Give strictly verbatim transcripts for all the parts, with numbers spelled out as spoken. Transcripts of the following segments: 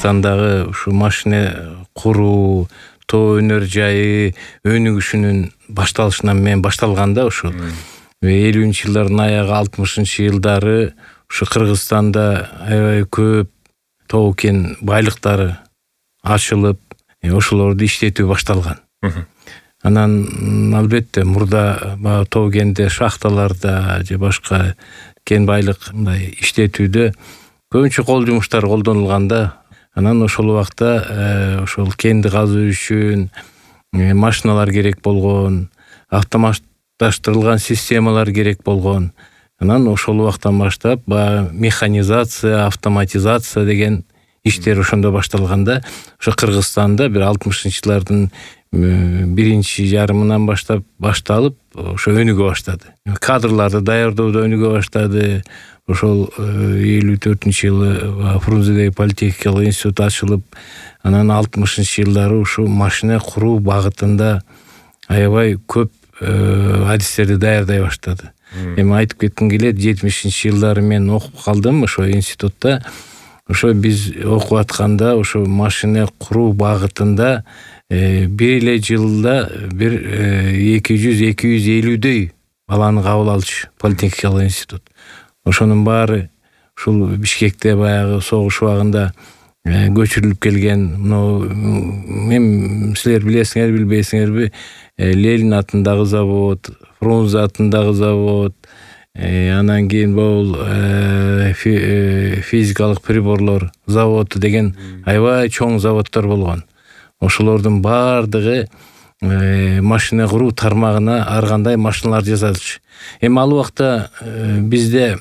Кыргызстандагы ушу машина куруу, тоо өнөр жайы өнүгүшүнүн башталышынан мен башталганда ушу элүүнчү жылдардын аягы алтымышынчы жылдары ушу Кыргызстанда аябай көп тоо кен байлыктары ачылып, ошолорду иштетүү башталган. Анан албетте мурда баягы тоо кенде шахталарда же башка кен байлык мындай иштетүүдө көбүнчө кол жумуштар колдонулганда, анан ошол убакта ошол кенди казуу үчүн машиналар керек болгон, автоматташтырылган системалар керек болгон. Анан ошол убактан баштап баягы механизация, автоматизация деген иштер ошондо башталганда, ошо Кыргызстанда бир алтымышынчы жылдардын биринчи жарымынан баштап башталып, ошо өнүгө баштады. Кадрларды даярдоодо өнүгө баштады. Ошол элүү төртүнчү жылы Фрунзедеги политехникалык институт ачылып, анан алтымышынчы жылдары ушу машина куруу багытында аябай көп адистерди даярдай баштады. Эми айтып кетким келет, жетимишинчи жылдары мен окуп калдым ошо институтта. Ошо биз окуп атканда ошо машина куруу багытында бир эле жылда бир эки жүз эки жүз элүүдөй баланы кабыл алчу политехникалык институт. Ошонун баары ушул Бишкекте баягы согуш убагында көчүрүлүп келген. Мына мен силер билесиңер билбейсиңерби, Ленин атындагы завод, Фрунзе атындагы завод, анан кийин бул физикалык приборлор заводу деген аябай чоң заводдор болгон. Ошолордун баардыгы машина куруу тармагына ар кандай машиналар жасалчу. Эми ал убакта бизде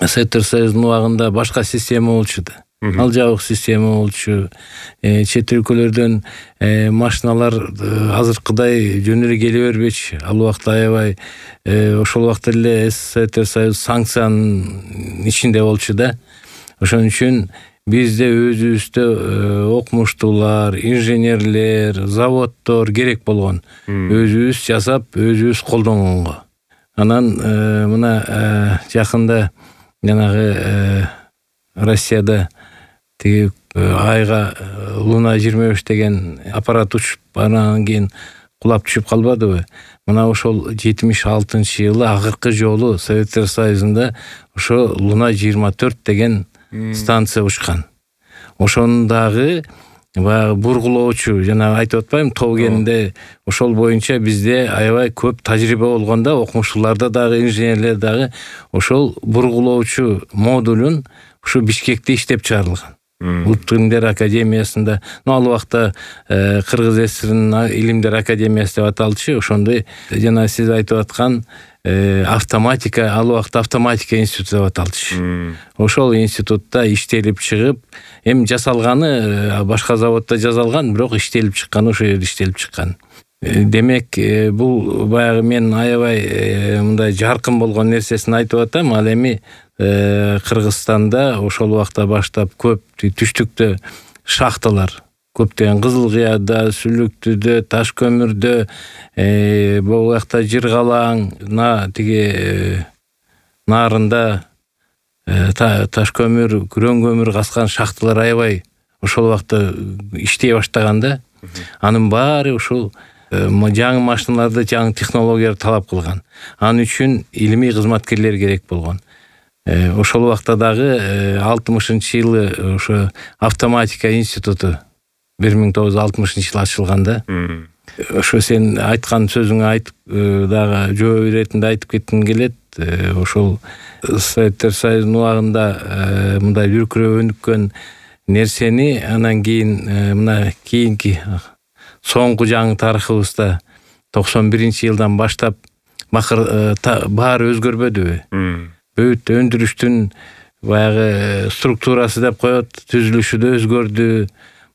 Советтер Союзунун убагында башка система болчу да. Ал жабык система болчу. Чет өлкөлөрдөн машиналар азыркыдай жөн эле келе бербечү. Ал убакта аябай ошол убакта эле Советтер Союзу санкциянын ичинде болчу да. Ошон үчүн бизде өзүбүздө окумуштуулар, инженерлер, заводдор керек болгон. Өзүбүз жасап, өзүбүз колдонгонго. Анан мына жакында жанагы Россияда тиги айга Луна жыйырма беш деген аппарат учуп, анан кийин кулап түшүп калбадыбы? Мына ошол жетимиш алтынчы жылы акыркы жолу Советтер Союзунда ошо Луна жыйырма төрт деген станция учкан. Ошонун дагы баягы бургулоочу, жана айтып атпаймынбы, тоо кенинде ошол боюнча бизде аябай көп тажрыйба болгонда, окумуштууларда дагы, инженерлер дагы ошол бургулоочу модулун ушу Бишкекте иштеп чыгарылган. Улуттук илимдер академиясында, ну ал убакта Кыргыз ССРнын илимдер академиясы деп аталчу. Ошондой жана сиз айтып аткан автоматика, ал убакта автоматика институту деп аталчу. Ошол институтта иштелип чыгып, эми жасалганы башка заводдо жасалган, бирок иштелип чыккан ошол жерде иштелип чыккан. Демек, бул баягы мен аябай мындай жаркын болгон нерсесин айтып атам. Ал эми Кыргызстанда ошол убакта баштап көп түштүктө шахталар, көптөгөн Кызылкыяда, Сүлүктүдө, Таш көмүрдө, бул жакта Жыргалаң, тиги нарында таш көмүр, күрөң көмүр каскан шахталар аябай ошол убакта иштей баштаганда, анын баары ушул жаңы машиналарды, жаңы технологияларды талап кылган. Анын үчүн илимий кызматкерлер керек болгон. Ошол убакта дагы алтымышынчы жылы ошо автоматика институту бир миң тогуз жүз алтымышынчы жылы ачылганда, ошо сен айткан сөзүңө айтып дагы жооп иретинде айтып кетким келет. Ошол Советтер Союзунун убагында мындай дүркүрөп өнүккөн нерсени анан кийин мына кийинки соңку жаңы тарыхыбызда токсон биринчи жылдан баштап баары өзгөрбөдүбү? Бүт өндүрүштүн баягы структурасы деп коет, түзүлүшү да өзгөрдү.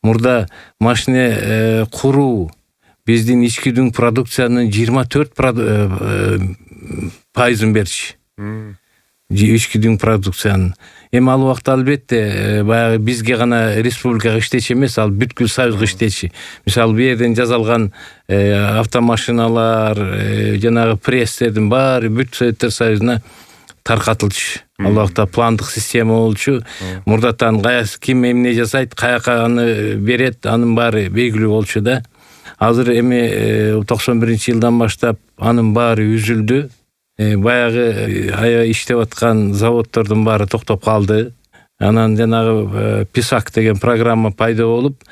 Мурда машина куруу биздин ички дүң продукциянын жыйырма төрт пайызын берчү. Ички дүң продукциянын. Эми ал убакта албетте баягы бизге гана республикага иштечи эмес, ал бүткүл Союзга иштечи. Мисалы, бу жерден жасалган автомашиналар, жанагы пресстердин баары бүт Советтер Союзуна таркатылчу. Ал убакта пландык система болчу. Мурдатан каясы ким эмне жасайт, каяка аны берет, анын баары белгилүү болчу да. Азыр эми токсон биринчи жылдан баштап анын баары үзүлдү. Баягы аябай иштеп аткан заводдордун баары токтоп калды. Анан жанагы Писак деген программа пайда болуп,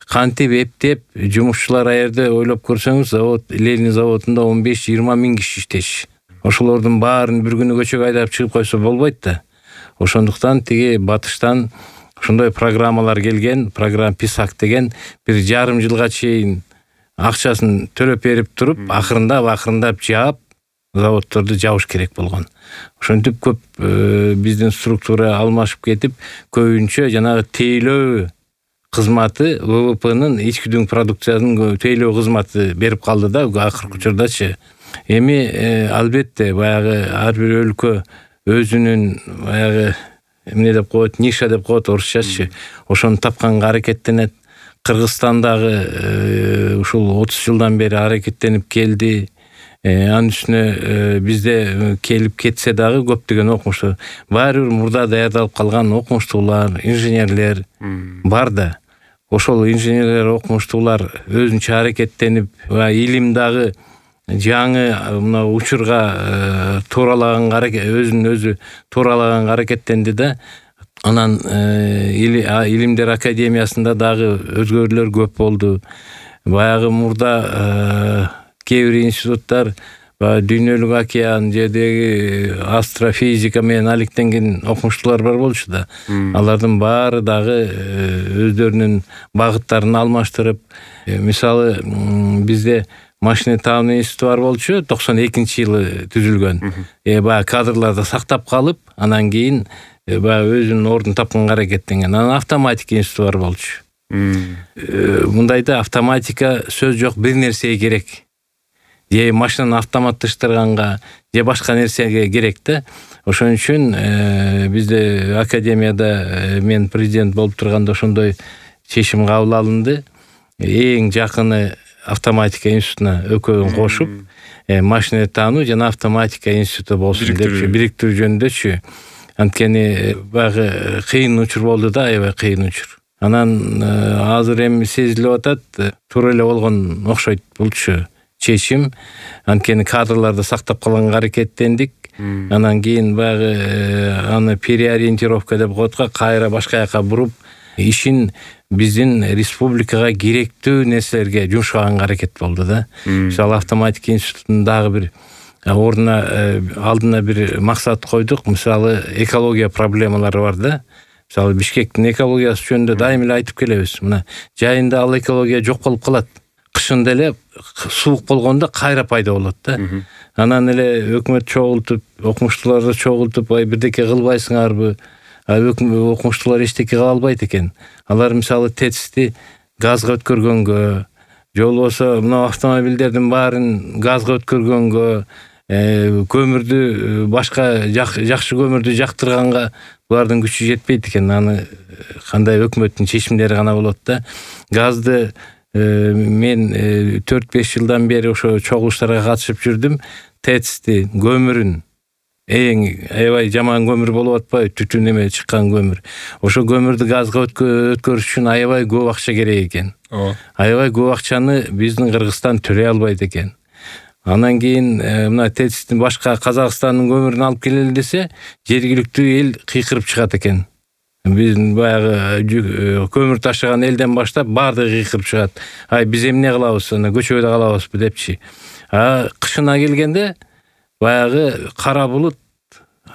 кантип эптеп жумушчулар аерде ойлоп көрсөңүз, завод Ленин заводунда он беш жыйырма миң киши иштеш. Ошолордун баарын бир күнү көчөгө айдап чыгып койсо болбойт да. Ошондуктан тиги батыштан ошондой программалар келген, программа Писак деген бир жарым жылга чейин акчасын төлөп берип туруп, акырындап акырындап жаап заводдорду жабыш керек болгон. Ошентип көп биздин структура алмашып кетип, көбүнчө жанагы тейлөө кызматы вэ вэ пэнин ички дүң продукциянын тейлөө кызматы берип калды да акыркы учурдачы. Эми албетте баягы ар бир өлкө өзүнүн баягы эмне деп коет, ниша деп коет орусчачы. Ошону тапканга аракеттенет. Кыргызстандагы ушул отуз жылдан бери аракеттенип келди. Анын үстүнө бизде келип кетсе дагы көптөгөн окумуштуу, баары бир мурда даярдалып калган окумуштуулар, инженерлер бар да. Ошол инженерлер, окумуштуулар өзүнчө аракеттенип, илим дагы жаңы мына учурга тууралаганга өзүн өзү тууралаганга аракеттенди да. Анан илимдер академиясында дагы өзгөрүүлөр көп болду. Баягы мурда кээ бир институттар дүйнөлүк океан жердеги астрофизика менен алектенген окумуштуулар бар болчу да. Алардын баары дагы өздөрүнүн багыттарын алмаштырып, мисалы бизде машинетануу институту бар болчу, токсон экинчи жылы түзүлгөн. Э баягы кадрларды сактап калып, анан кийин баягы өзүнүн ордун тапканга аракеттенген. Анан автоматика институту бар болчу. Мындайда автоматика сөз жок, бир нерсеге керек. Же машинаны автоматташтырганга, же башка нерсеге керек да. Ошон үчүн бизде академияда мен президент болуп турганда ошондой чечим кабыл алынды. Эң жакыны автоматика институтуна экөөгөн кошуп, машинетануу жана автоматика институту болсун деп бириктирүү жөнүндөчү. Анткени баягы кыйын учур болду да, аябай кыйын учур. Анан азыр эми сезилип атат, туура эле болгон окшойт булчу чечим. Анткени кадрларды сактап калганга аракеттендик. Анан кийин баягы аны переориентировка деп коет го, кайра башка жака буруп, ишин биздин республикага керектүү нерселерге жумшаганга аракет болду да. Мисалы автоматика институтунун дагы бир ордуна алдына бир максат койдук. Мисалы экология проблемалары бар да. Мисалы Бишкектин экологиясы жөнүндө дайым эле айтып келебиз. Мына жайында ал экология жок болуп калат. Кышында эле суук болгондо кайра пайда болот да. Анан эле өкмөт чогултуп, окумуштууларды чогултуп, ай бирдеке кылбайсыңарбы? Окумуштуулар эчтеке кыла албайт экен. Алар мисалы ТЭЦти газга өткөргөнгө, же болбосо мына автомобилдердин баарын газга өткөргөнгө, көмүрдү башка жакшы көмүрдү жактырганга булардын күчү жетпейт экен. Аны кандай өкмөттүн чечимдери гана болот да. Газды мен төрт беш жылдан бери ошо чогулуштарга катышып жүрдүм. ТЭЦти, көмүрүн, эң аябай жаман көмүр болуп атпайбы, түтүн эме чыккан көмүр. Ошо көмүрдү газга өткөрүш үчүн аябай көп акча керек экен. Аябай көп акчаны биздин Кыргызстан төлөй албайт экен. Анан кийин мына ТЭЦтин башка Казакстандын көмүрүн алып келели десе, жергиликтүү эл кыйкырып чыгат экен. Биздин баягы көмүр ташыган элден баштап баардыгы кыйкырып чыгат. Ай биз эмне кылабыз, ана көчөдө калабызбы депчи. А кышына келгенде баягы кара булут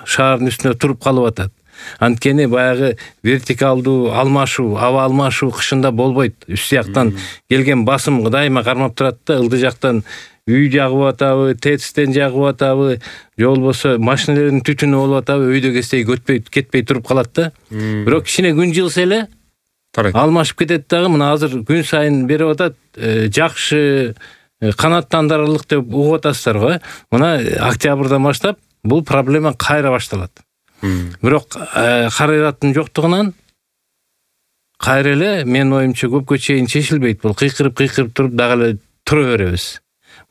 шаардын үстүнө туруп калып атат. Анткени баягы вертикалдуу алмашуу, аба алмашуу кышында болбойт. Үст жактан келген басым дайыма кармап турат да, ылдый жактан үй жагып атабы, ТЭЦтен жагып атабы, же болбосо машиналардын түтүнү болуп атабы, өйдө кетпей көтпөй кетпей туруп калат да. Бирок кичине күн жылса эле алмашып кетет дагы. Мына азыр күн сайын берип атат, жакшы канаттандырырлык деп угуп атасыздар го. Мына октябрдан баштап бул проблема кайра башталат. Бирок каражаттын жоктугунан кайра эле менин оюмча көпкө чейин чечилбейт. Бул кыйкырып кыйкырып туруп дагы эле тура беребиз.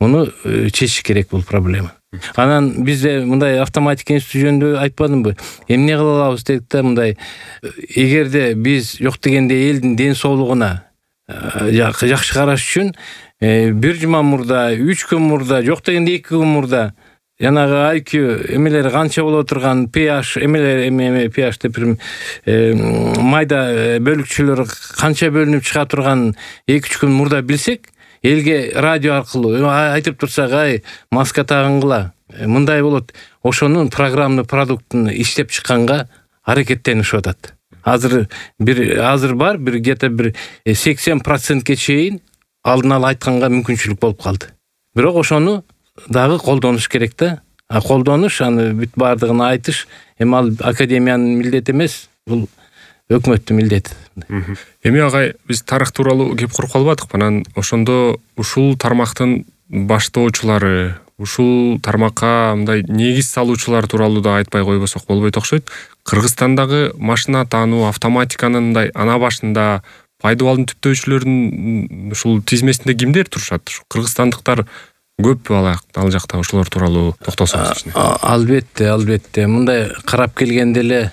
Муну чечиш керек бул проблема. Анан бизде мындай автоматика институту жөнүндө айтпадымбы? Эмне кыла алабыз дедик да, мындай эгерде биз жок дегенде элдин ден соолугуна жакшы караш үчүн бир жума мурда, үч күн мурда, жок дегенде эки күн мурда жанагы ай кью эмелери канча боло турган pH эмелер эме pH деп майда бөлүкчөлөр канча бөлүнүп чыга турган эки үч күн мурда билсек, элге радио аркылуу айтып турсак, ай маска тагынгыла, мындай болот, ошонун программный продуктун иштеп чыкканга аракеттенишип атат. Азыр бир азыр бар, бир где-то бир сексен процентке чейин алдын ала айтканга мүмкүнчүлүк болуп калды. Бирок ошону дагы колдонуш керек да. А колдонуш, аны бүт бардыгын айтыш эми ал академиянын милдети эмес, бул өкмөттүн милдети. Эми агай, биз тарых тууралуу кеп куруп калбадыкпы? Анан ошондо ушул тармактын баштоочулары, ушул тармакка мындай негиз салуучулар тууралуу да айтпай койбосок болбойт окшойт. Кыргызстандагы машина таануу, автоматиканын мындай ана башында пайдабалдын түптөөчүлөрүнүн ушул тизмесинде кимдер турушат? Кыргызстандыктар көппү ал жакта? Ошолор тууралуу токтолсоңуз. Албетте, албетте. Мындай карап келгенде эле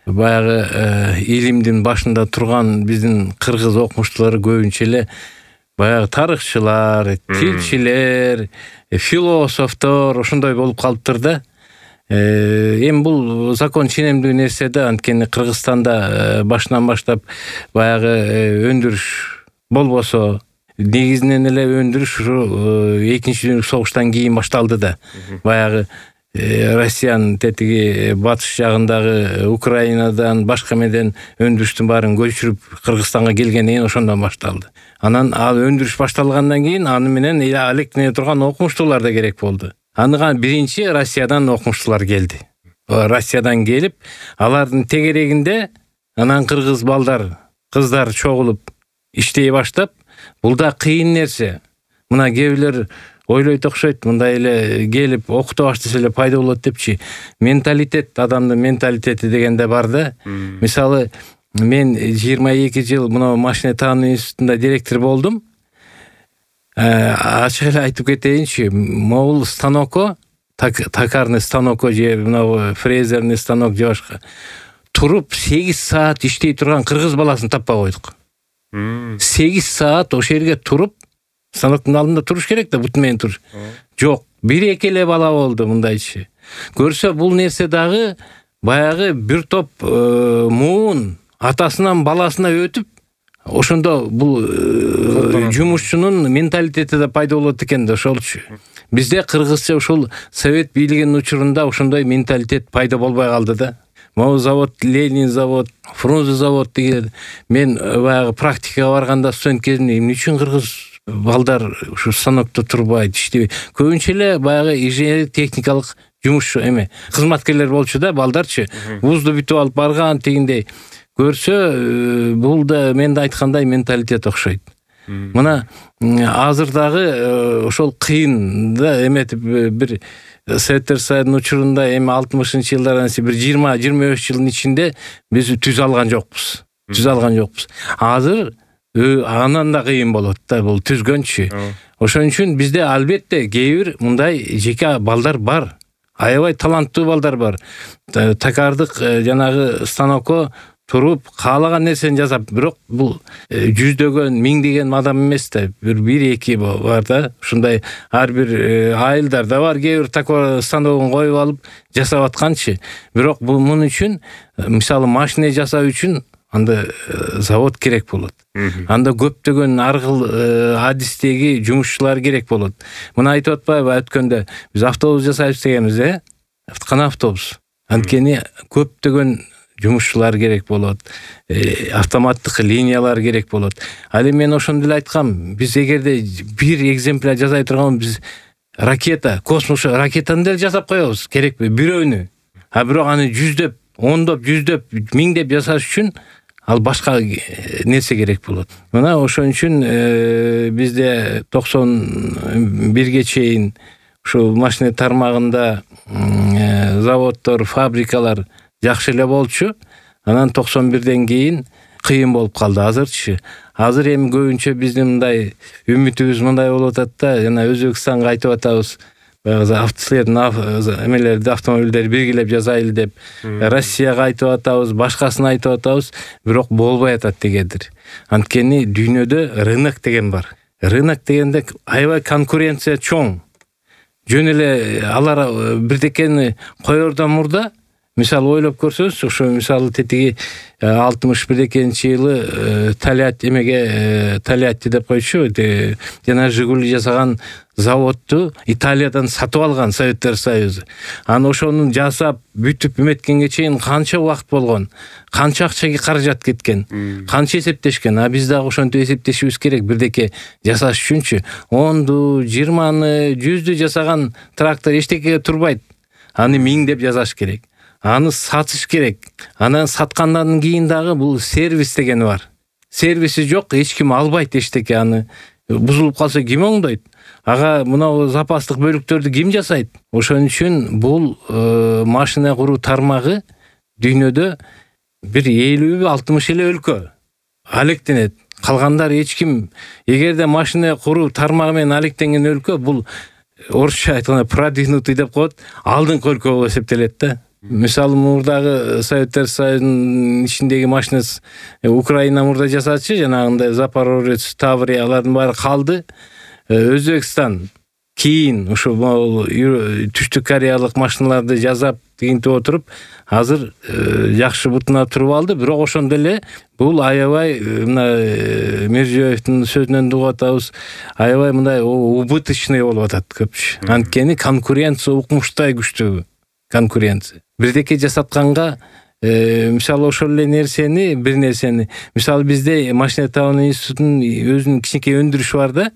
баягы илимдин башында турган биздин кыргыз окумуштуулары көбүнчө эле баягы тарыхчылар, тилчилер, философтор ошондой болуп калыптыр да. Эми бул закон ченемдүү нерсе да, анткени Кыргызстанда башынан баштап баягы өндүрүш болбосо, негизинен эле өндүрүш ушу экинчи дүйнөлүк согуштан кийин башталды да. Баягы Россиянын тетиги батыш жагындагы Украинадан башка меден өндүрүштүн баарын көчүрүп Кыргызстанга келгенден кийин ошондон башталды. Анан ал өндүрүш башталгандан кийин аны менен алектене турган окумуштуулар да керек болду. Аны биринчи Россиядан окумуштуулар келди. Россиядан келип, алардын тегерегинде анан кыргыз балдар, кыздар чогулуп иштей баштап, бул да кыйын нерсе. Мына кээ бирлер ойлойт окшойт, мындай эле келип окута баштаса эле пайда болот депчи. Менталитет, адамдын менталитети дегенде бар да. Мисалы, мен жыйырма эки жыл мына машина таануу институтунда директор болдум. Ачык эле айтып кетейинчи, могул станокко, токарный станокко же мына фрезерный станок же башка туруп сегиз саат иштей турган кыргыз баласын таппай койдук. сегиз саат ошол жерге туруп, станоктун алдында туруш керек да, бут менен туруш. Жок, бир эки эле бала болду мындайчы. Көрсө бул нерсе дагы баягы бир топ муун атасынан баласына өтүп, ошондо бул жумушчунун менталитети да пайда болот экен да, ошолчу. Бизде кыргызча ушул совет бийлигинин учурунда ошондой менталитет пайда болбой калды да. Могу завод, Ленин завод, Фрунзе завод деген. Мен баягы практикага барганда студент кезимде эмне үчүн кыргыз балдар ушу станокто турбайт, иштебейт? Көбүнчө эле баягы инженер техникалык жумушчу эме, кызматкерлер болчу да, балдарчы. Вузду бүтүп алып барган тегиндей. Көрсө, бул да мен да айткандай менталитет окшойт. Мына азыр дагы ошол кыйын да, эметип бир Советтер Союзунун учурунда эми алтымышынчы жылдардан бир жыйырма жыйырма беш жылдын ичинде биз түз алган жокпуз. Түз алган жокпуз. Азыр анан да кыйын болот да, бул түзгөнчү. Ошон үчүн бизде албетте кээ бир мындай жеке балдар бар. Аябай таланттуу балдар бар. Токардык жанагы станокко туруп каалаган нерсени жасап, бирок бул жүздөгөн, миңдеген адам эмес да, бир бир эки бар да. Ушундай ар бир айылдар да бар, кээ бир такой станогун коюп алып жасап атканчы. Бирок бул мун үчүн, мисалы машина жасоо үчүн анда завод керек болот. Анда көптөгөн ар кыл адистеги жумушчулар керек болот. Мына айтып атпайбы өткөндө биз автобус жасайбыз дегенбиз, э? Кана автобус. Анткени көптөгөн жумушчулар керек болот, автоматтык линиялар керек болот. Ал эми мен ошондо эле айткам, биз эгерде бир экземпляр жасай турган биз ракета, космос ракетаны деле жасап коебуз, керекпи? Бирөөнү. А бирок аны жүздөп, ондоп, жүздөп, миңдеп жасаш үчүн ал башка нерсе керек болот. Мына ошон үчүн бизде токсон бирге чейин ушу машина тармагында заводдор, фабрикалар жакшы эле болчу. Анан токсон бирден кийин кыйын болуп калды. Азырчы. Азыр эми көбүнчө биздин мындай үмүтүбүз мындай болуп атат да, жана Өзбекстанга айтып атабыз. баягы автосилердин эмелерди автомобилдерди биргилеп жасайлы деп Россияга айтып атабыз, башкасына айтып атабыз, бирок болбой атат дегендир. Анткени дүйнөдө рынок деген бар. Рынок дегенде аябай конкуренция чоң. Жөн эле алар бирдекени коердон мурда, мисалы ойлоп көрсөңүз, ошо мисалы тетиги алтымыш бирдекинчи жылы Тольятти эмеге Тольятти деп койчу, жана Жигули жасаган заводду Италиядан сатып алган Советтер Союзу. Аны ошону жасап, бүтүп эметкенге чейин канча убакыт болгон, канча акча каражат кеткен, канча эсептешкен. А биз дагы ошентип эсептешибиз керек. Бирдеке жасаш үчүнчү онду, жыйырманы, жүздү жасаган трактор эчтекеге турбайт. Аны миңдеп жасаш керек. Аны сатыш керек. Анан саткандан кийин дагы бул сервис деген бар. Сервиси жок, эч ким албайт эчтеке. Аны бузулуп калса ким оңдойт? Ага мына запастык бөлүктөрдү ким жасайт? Ошон үчүн бул машина куруу тармагы дүйнөдө бир элүү алтымыш эле өлкө алектенет. Калгандар эч ким. Эгерде машина куруу тармагы менен алектенген өлкө бул орусча айтканда продвинутый деп коет, алдыңкы өлкө болуп эсептелет да. Мисалы мурдагы Советтер Союзунун ичиндеги машина Украина мурда жасачы, жанагындай Запорожец, Таврия алардын баары калды. Өзбекстан кийин ушу түштүк Кореялык машиналарды жасап тигинтип отуруп, азыр жакшы бутуна туруп алды. Бирок ошондо эле бул аябай мына Миржиёевдин сөзүнөн угуп атабыз, аябай мындай убыточный болуп атат көпчү. Анткени конкуренция укмуштай күчтүү конкуренция. Бирдеке жасатканга мисалы ошол эле нерсени, бир нерсени, мисалы бизде машина табуу институтунун өзүнүн кичинекей өндүрүшү бар да.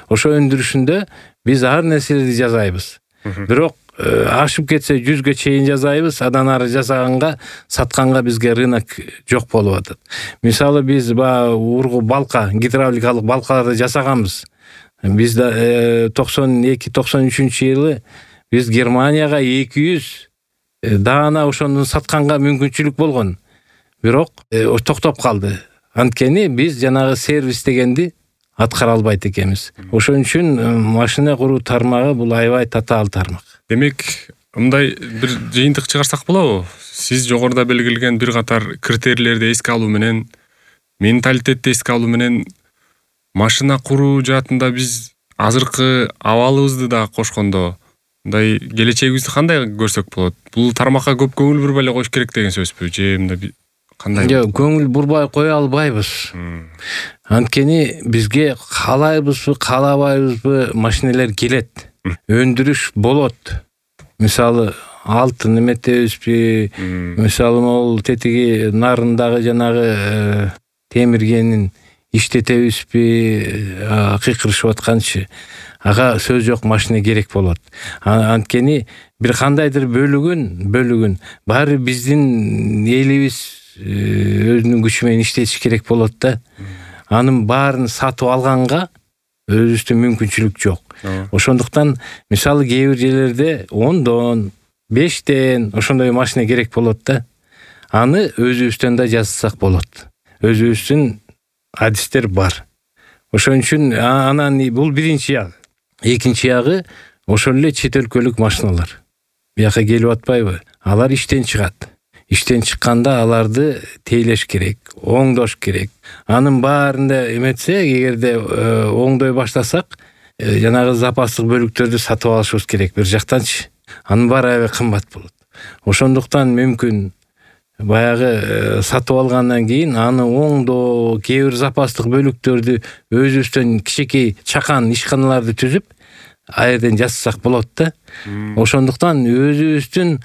Ошо өндүрүшүндө биз ар нерселерди жасайбыз. Бирок ашып кетсе жүзгө чейин жасайбыз, андан ары жасаганга, сатканга бизге рынок жок болуп атат. Мисалы биз ба ургу балка, гидравликалык балкаларды жасаганбыз. Биз да токсон эки токсон үчүнчү жылы биз Германияга эки жүз даана ошону сатканга мүмкүнчүлүк болгон. Бирок токтоп калды. Анткени биз жанагы сервис дегенди аткара албайт экенбиз. Ошон үчүн машина куруу тармагы бул аябай татаал тармак. Демек, мындай бир жыйынтык чыгарсак болобу? Сиз жогоруда белгилеген бир катар критерийлерди эске алуу менен, менталитетти эске алуу менен машина куруу жаатында биз азыркы абалыбызды да кошкондо мындай келечегибизди кандай көрсөк болот? Бул тармакка көп көңүл бурбай эле коюш керек деген сөзбү? Же мындай кандай? Жок, көңүл бурбай кое албайбыз. Анткени бизге каалайбызбы, каалабайбызбы машиналар келет. Өндүрүш болот. Мисалы алтын эметебизби, мисалы могул тетиги нарындагы жанагы темиргенин иштетебизби, кыйкырышып атканчы. Ага сөз жок, машина керек болот. Анткени бир кандайдыр бөлүгүн, бөлүгүн баары биздин элибиз өзүнүн күчү менен иштетиш керек болот да. Анын баарын сатып алганга өзүбүздө мүмкүнчүлүк жок. Ошондуктан мисалы кээ бир жерлерде ондон, бештен ошондой машина керек болот да. Аны өзүбүздөн да жасасак болот. Өзүбүздүн адистер бар. Ошон үчүн анан бул биринчи ягы. Экинчи ягы ошол эле чет өлкөлүк машиналар. Бияка келип атпайбы? Алар иштен чыгат. Иштен чыкканда аларды тейлеш керек, оңдош керек. Анын баарында эметсе, эгерде оңдой баштасак, жанагы запастык бөлүктөрдү сатып алышыбыз керек бир жактанчы. Анын баары аябай кымбат болот. Ошондуктан мүмкүн баягы сатып алгандан кийин аны оңдоо, кээ бир запастык бөлүктөрдү өзүбүздөн кичинекей чакан ишканаларды түзүп, а жерден жасасак болот да. Ошондуктан өзүбүздүн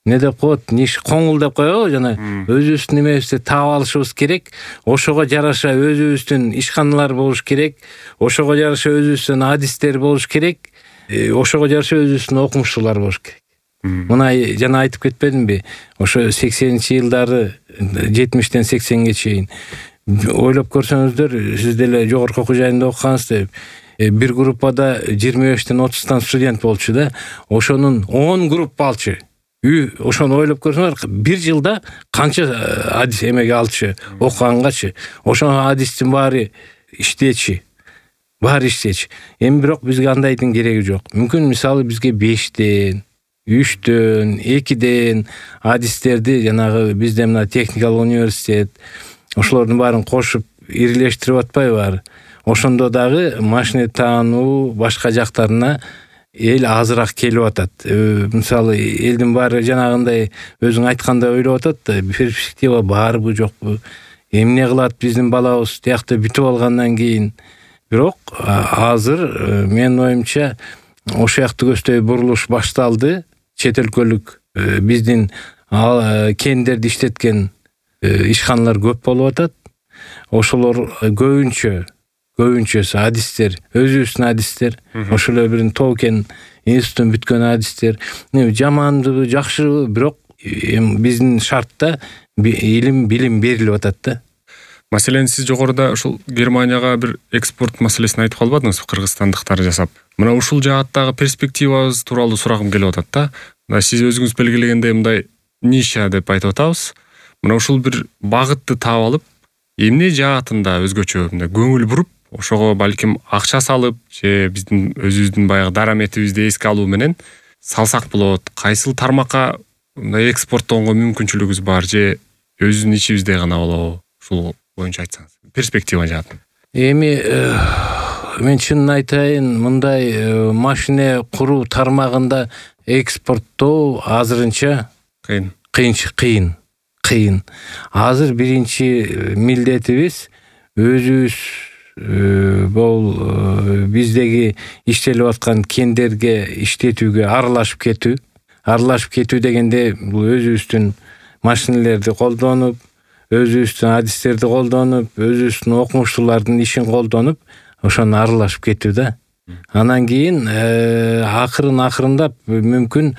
не деп коет, ниш коңул деп коебу, жана өзүбүздүн немебизди таап алышыбыз керек. Ошого жараша өзүбүздүн ишканалар болуш керек. Ошого жараша өзүбүздүн адистер болуш керек. Ошого жараша өзүбүздүн окумуштуулар болуш керек. Мына жана айтып кетпедимби? Ошо сексенинчи жылдары жетимиштен сексенге чейин ойлоп көрсөңүздөр, сиз деле жогорку окуу жайында окугансыз, бир группада жыйырма бештен отуздан студент болчу да. Ошонун он группа алчу. Ошону ойлоп көрсөңөр, бир жылда канча адис эмеге алчу, окугангачы. Ошо адистин баары иштечи. баары иштечи. Эми бирок бизге андайдын кереги жок. Мүмкүн мисалы бизге бештен, үчтөн, экиден адистерди жанагы бизде мына техникалык университет ошолордун баарын кошуп ирилештирип атпайбы баары. Ошондо дагы машина таануу башка жактарына эл азыраак келип атат. Мисалы элдин баары жанагындай өзүң айткандай ойлоп атат да, перспектива барбы жокпу? Эмне кылат биздин балабыз тиякта бүтүп алгандан кийин? Бирок азыр менин оюмча ошол жакты көздөй бурулуш башталды. Чет өлкөлүк биздин кендерди иштеткен ишканалар көп болуп атат. Ошолор көбүнчө көбүнчөсү адистер, өзүбүздүн адистер, ошол эле бир Токен институтун бүткөн адистер. Жаманбы, жакшыбы, бирок биздин шартта илим, билим берилип атат да. Маселен, сиз жогоруда ушул Германияга бир экспорт маселесин айтып калбадыңызбы, кыргызстандыктар жасап? Мына ушул жааттагы перспективабыз тууралуу сурагым келип атат да. Мына сиз өзүңүз белгилегендей мындай ниша деп айтып атабыз. Мына ушул бир багытты таап алып, эмне жаатында өзгөчө мындай көңүл буруп, ошого балким акча салып, же биздин өзүбүздүн баягы дараметибизди эске алуу менен салсак болот. Кайсыл тармакка мындай экспорттоого мүмкүнчүлүгүбүз бар, же өзүбүздүн ичибизде гана болобу? Ушул боюнча айтсаңыз, перспектива жаатын. Эми мен чынын айтайын, мындай машина куруу тармагында экспорттоо азырынча кыйын. Кыйын, кыйын, кыйын. Азыр биринчи милдетибиз өзүбүз бул биздеги иштелип аткан кендерге иштетүүгө аралашып кетүү. Аралашып кетүү дегенде бул өзүбүздүн машиналерди колдонуп, өзүбүздүн адистерди колдонуп, өзүбүздүн окумуштуулардын ишин колдонуп, ошону аралашып кетүү да. Анан кийин акырын акырындап мүмкүн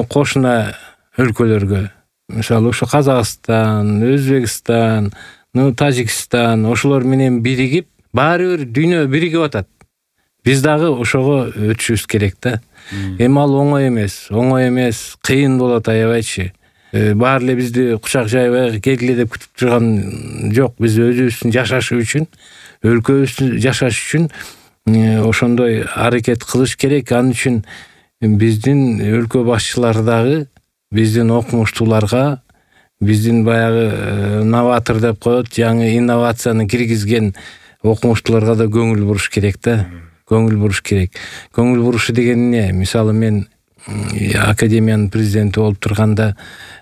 кошуна өлкөлөргө, мисалы ошо Казакстан, Өзбекстан, Тажикстан ошолор менен биригип, баары бир дүйнө биригип атат. Биз дагы ошого өтүшүбүз керек да. Эми ал оңой эмес, оңой эмес, кыйын болот аябайчы. Баары эле бизди кучак жайбай келгиле деп күтүп турган жок. Биз өзүбүздүн жашаш үчүн, өлкөбүздүн жашаш үчүн ошондой аракет кылыш керек. Ал үчүн биздин өлкө башчылары дагы биздин окумуштууларга, биздин баягы новатор деп коет, жаңы инновацияны киргизген окумуштууларга да көңүл буруш керек да. Көңүл буруш керек. Көңүл бурушу деген эмне? Мисалы мен академиянын президенти болуп турганда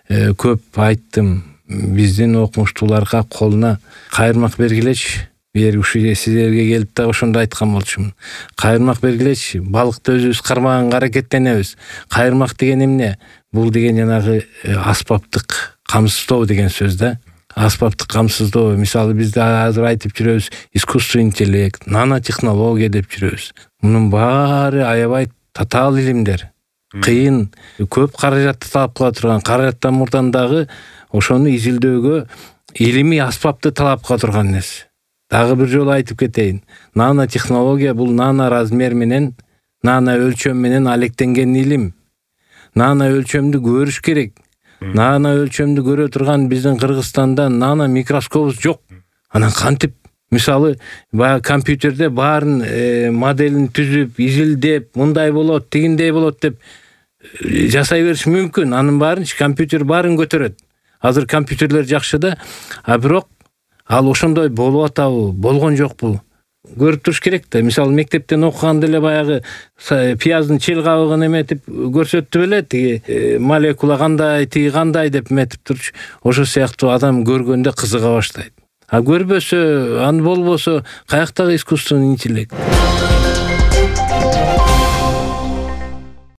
көп айттым. Биздин окумуштууларга колуна кайырмак бергилечи. Бери ушул сиздерге келип да ошондо айткан болчумун. Кайырмак бергилечи. Балыкты өзүбүз кармаганга аракеттенебиз. Кайырмак деген эмне? Бул деген жанагы аспаптык камсыздоо деген сөз да. Аспаптык камсыздоо. Мисалы бизде азыр айтып жүрөбүз искусственный интеллект, нанотехнология деп жүрөбүз. Мунун баары аябай татаал илимдер. Кыйын, көп каражатты талап кыла турган, каражаттан мурдан дагы ошону изилдөөгө илимий аспапты талап кыла турган нерсе. Дагы бир жолу айтып кетейин. Нанотехнология бул нано размер менен, нано өлчөм менен алектенген илим. Нано өлчөмдү көрүш керек. Нано өлчөмдү көрө турган биздин Кыргызстанда нано микроскопубуз жок. Анан кантип, мисалы, баягы компьютерде баарын моделин түзүп, изилдеп, мындай болот, тигиндей болот деп жасай бериш мүмкүн. Анын баарынчы компьютер баарын көтөрөт. Азыр компьютерлер жакшы да, а бирок ал ошондой болуп атабы, болгон жокпу? Көрүп туруш керек да. Мисалы мектептен окуганда эле баягы пияздын чел кабыгын эметип көрсөттү беле, тиги молекула кандай, тиги кандай деп эметип турчу. Ошо сыяктуу адам көргөндө кызыга баштайт. А көрбөсө, аны болбосо каяктагы искусственный интеллект?